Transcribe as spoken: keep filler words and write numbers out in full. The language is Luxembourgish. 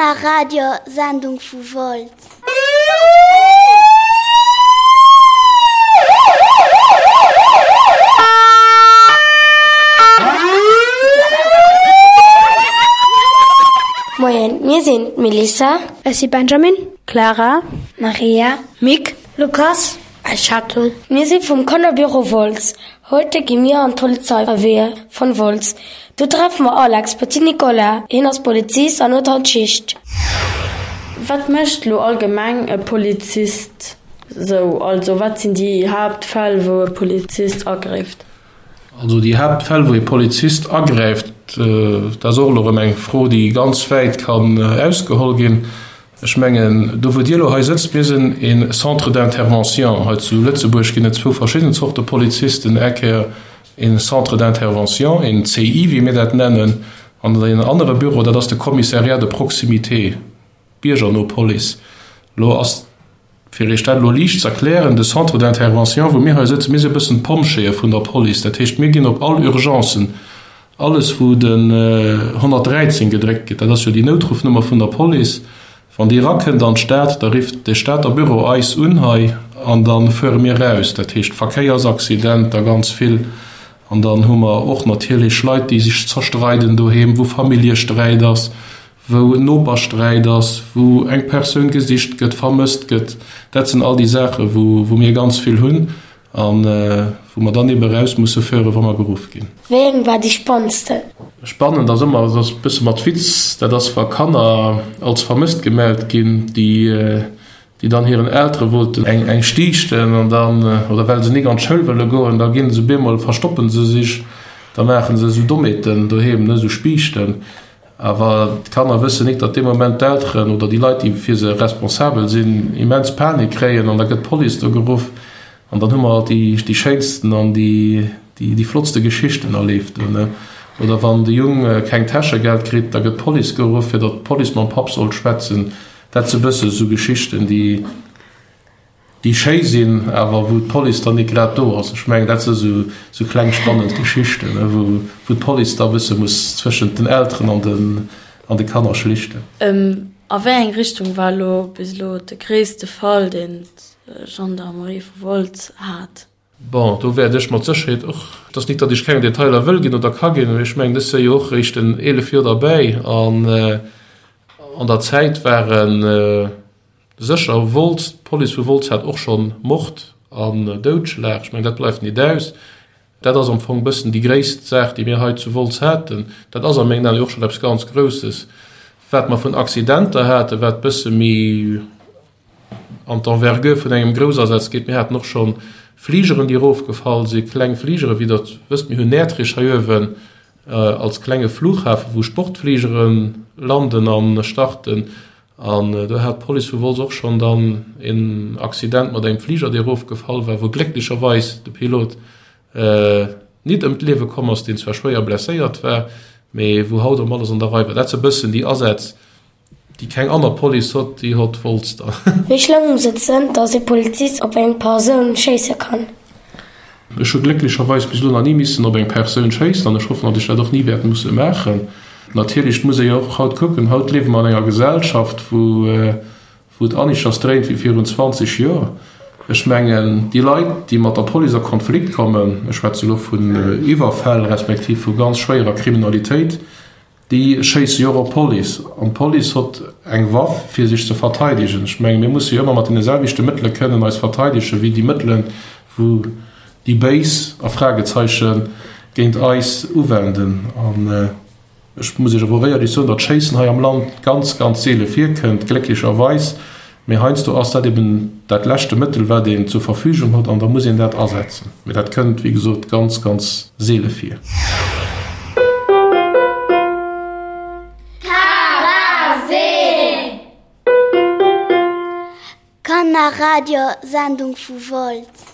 Kannerradiosendung vu Wolz. Moien, mir sinn d'Melissa. Ech si Benjamin. Clara. Maria. Mick. Lukas. A Chateau. Mir si vum Kannerbüro Wolz. Heute gi mir an d'Polizeirevier vun Wolz. Do treffe mer Alex, Petit Nicolas. Hien ass Polizist an huet haut Schicht. Wat mécht lo allgemeng e Polizist sou? Also wat sinn déi Haaptfäll, wou e Polizist agräift? Also déi Haaptfäll, wou e Polizist agräift, dat ass och elo erëm eng Fro, déi ganz wäit kann ausgeholl ginn. Ech mengen, do wou Dir elo hei sëtzt, mir sinn e Centre d'intervention. Hei zu Lëtzebuerg ginn et zwou verschidden Zorte Polizisten, eng Kéier e Centre d'intervention, en C I, wéi mir dat nennen, an en anere Büro, dat ass de Commissariat de proximité, biergerno Police. Elo ass, fir Iech dat elo liicht ze erklären, de Centre d'intervention, wou mir hei sëtzen, mir si e bëssen d'Pompjeeë vun der Police. Dat heescht, mir ginn op all Urgencen, alles wou den honnertdräizéng gedréckt gëtt, dat ass jo déi Noutruffnummer vun der Police, wann déi erakënnt an d'Stad, da rifft de Stater Büro eis un hei an da fuere mir raus. Dat heescht Verkéiersaccidenter ganz vill. An dann hu mer och natierlech Leit, déi sech zerstreiden doheem, wou Familljesträit ass, wou Nopersträit ass, wou eng Persoun gesicht gëtt, vermësst gëtt. Dat sinn all déi Saachen, wou, wou mir ganz vill hunn an wou mer dann eben raus musse fueren, wa mer geruff ginn. Wéi eng war déi spannendste? Spannend ass ëmmer, dat ass e bësse mat Witz, dat ass, wa Kanner als vermësst gemellt ginn, déi, déi dann hiren Eltere wollten eng, eng stiichten an dann, oder well se nik an d'Schoul wëlle goen, da ginn se bemol, verstoppen se sich, da maachen se sou Dommheeten doheem, ne, sou Spiichten. Awer d'Kanner wëssen nik, datt dee Moment d'Elteren oder déi Leit, déi fir se responsabel sinn, immens Panik kréien an da gëtt d'Police do geruff. An dann hu mer halt déi, déi schéinsten an déi, déi, déi flottste Geschichten erleeft, ne? Oder wann de Jung keng Täschegeld kritt, da gëtt d'Police geruff, fir datt d'Police mam Papp soll schwätzen. Dat si bësse sou Geschichten, déi, déi schéi sinn, awer wou d'Police dann nik grad do ass. Ech mengen, dat si sou, sou kleng spannend Geschichten, ne, wou, wou d'Police da bësse muss zwëschent den Elteren an den, an de Kanner schlichten. Ähm, a wéi eng Richtung war lo bis elo de gréisste Fall, deen d'Gendarmerie vu Wolz hat? Bon, do wäert ech mat Sécherheet och, et ass nik, datt ech keng Detailer wëll ginn oder ka ginn, mee ech mengen, ech si jo och réischt en eelef Joer derbäi an, an der Zäit waren sécher Wolz, d'Police vu Wolz hat och schonn Mord an Doudschlag. Ech mengen, dat bleift nit aus. Dat ass am Fong bëssen déi gréisst Saach, déi mir hei zu Wolz haten. Dat ass a mengen Aen och schonn eppes ganz Grousses. Wat mer vun Accidenter haten, wat bësse méi an d'Envergure vun engem Groussersatz geet. Mir haten och schonn Fligeren, déi erofgefall sinn, kleng Fligeren, wéi der wësst, mir hunn Näertrich hei uewen als klenge Flughafen, wou Sportfligeren landen an starten. An do hat d'Police vu Wolz och schonn dann en Accident mat engem Fliger, dee erofgefall war, wou glécklecherweis de Pilot nit ëm d'Liewe komm ass, deen zwar schwéier blesséiert war, mee wou haut ëm alles an der Rei war. Dat si bëssen déi Asätz, déi keng aner Police hot, déi hot Wolz dann. Wéi schlëmm muss et sinn, datt e Polizist op eng Persoun schéisse kann? Ech hu glécklecherweis bis elo nach ni missen op eng Persoun schéissen an ech hoffen, datt ech dat och ni wäert musse maachen. Natierlech muss ee jo och haut kucken, haut liewe mer an enger Gesellschaft, wou, wou et aneschters dréint wéi virun zwanzeg Joer. Ech mengen, déi Leit, déi mat der Police a Konflikt kommen, ech schwätze elo vun Iwwerfäll respektiv vu ganz schwéierer Kriminalitéit, déi schéisse jo och op d'Police. An d'Police hot eng Waff, fir sech ze verteidegen. Ech mengen, mir musse jo ëmmer mat deene selwechte Mëttele kënnen eis verteidegen, wéi déi Mëttelen, wou déi Béis a Fragezeiche géint eis uwenden. An ech muss Iech awer och éierlech soen, datt Schéissen hei am Land ganz, ganz seele virkënnt, glécklecherweis. Mee heiansdo ass dat eben dat leschte Mëttel, wat een zur Verfügung huet, an da muss een dat asetzen. Mee dat kënnt, wéi gesot, ganz, ganz seele vir. Kannerradiosendung vu Wolz.